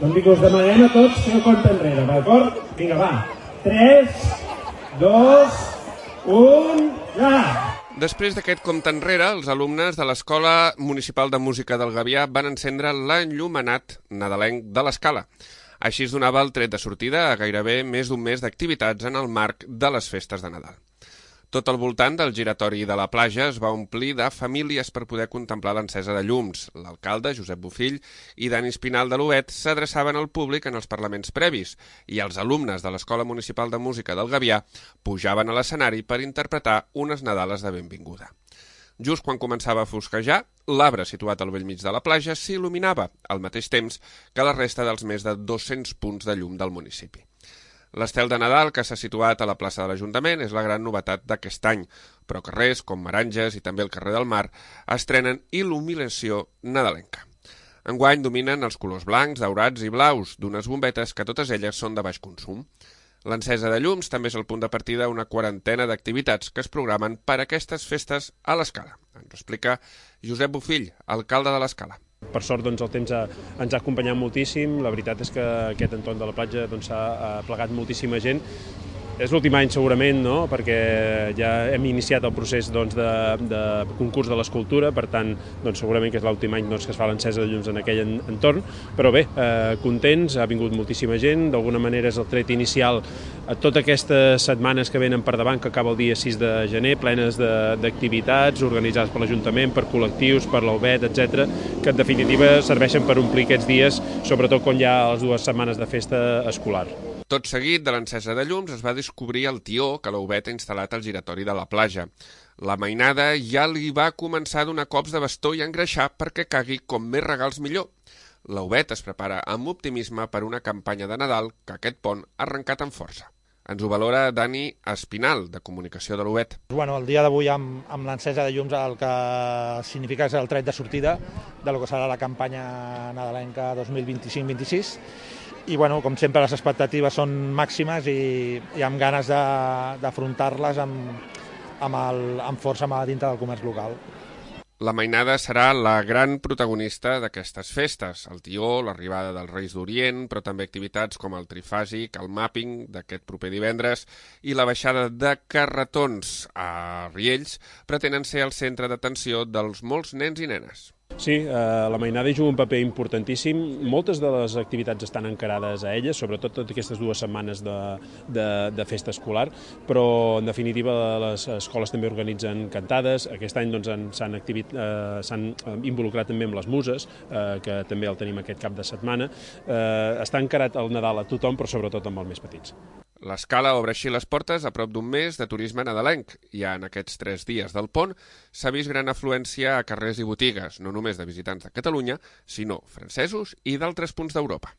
Doncs us demanem a tots fer el compte enrere, d'acord? Vinga, va. 3, 2, 1, ja! Després d'aquest compte enrere, els alumnes de l'Escola Municipal de Música del Gavià van encendre l'enllumenat nadalenc de l'Escala. Així es donava el tret de sortida a gairebé més d'un mes d'activitats en el marc de les festes de Nadal. Tot al voltant del giratori de la platja es va omplir de famílies per poder contemplar l'encesa de llums. L'alcalde, Josep Bofill, i Dani Espinal de l'UET s'adreçaven al públic en els parlaments previs i els alumnes de l'Escola Municipal de Música del Gavià pujaven a l'escenari per interpretar unes Nadales de benvinguda. Just quan començava a fosquejar, l'arbre situat al bell mig de la platja s'il·luminava al mateix temps que la resta dels més de 200 punts de llum del municipi. L'estel de Nadal que s'ha situat a la plaça de l'Ajuntament és la gran novetat d'aquest any, però carrers com Meranges i també el carrer del Mar estrenen il·luminació nadalenca. Enguany dominen els colors blancs, daurats i blaus d'unes bombetes que totes elles són de baix consum. L'encesa de llums també és el punt de partida d'una quarantena d'activitats que es programen per a aquestes festes a l'Escala. Ens ho explica Josep Bofill, alcalde de l'Escala. Per sort doncs, el temps ens ha acompanyat moltíssim, la veritat és que aquest entorn de la platja s'ha plegat moltíssima gent. És l'últim any segurament, no? Perquè ja hem iniciat el procés de concurs de l'escultura, per tant segurament que és l'últim any que es fa l'encesa de llums en aquell entorn, però bé, contents, ha vingut moltíssima gent, d'alguna manera és el tret inicial a totes aquestes setmanes que venen per davant, que acaba el dia 6 de gener, plenes d'activitats organitzades per l'Ajuntament, per col·lectius, per l'UET, etc., que en definitiva serveixen per omplir aquests dies, sobretot quan hi ha les 2 setmanes de festa escolar. Tot seguit de l'encesa de llums es va descobrir el tió que la UET ha instal·lat al giratori de la platja. La mainada ja li va començar a donar cops de bastó i a engreixar perquè cagui com més regals millor. La UET es prepara amb optimisme per una campanya de Nadal que aquest pont ha arrencat amb força. Ens ho valora Dani Espinal, de Comunicació de l'UET. El dia d'avui amb l'encesa de llums el que significa és el tret de sortida del que serà la campanya nadalenca 2025-26. I, com sempre, les expectatives són màximes i amb ganes d'afrontar-les amb força dintre del comerç local. La mainada serà la gran protagonista d'aquestes festes. El tió, l'arribada dels Reis d'Orient, però també activitats com el trifàsic, el mapping d'aquest proper divendres i la baixada de carretons a Riells pretenen ser el centre d'atenció dels molts nens i nenes. Sí, la mainada hi juga un paper importantíssim. Moltes de les activitats estan encarades a elles, sobretot totes aquestes 2 setmanes de festa escolar, però en definitiva les escoles també organitzen cantades. Aquest any s'han involucrat també amb les muses, que també el tenim aquest cap de setmana. Està encarat el Nadal a tothom, però sobretot amb els més petits. L'Escala obre així les portes a prop d'un mes de turisme nadalenc. Ja en aquests 3 dies del pont s'ha vist gran afluència a carrers i botigues, no només de visitants de Catalunya, sinó francesos i d'altres punts d'Europa.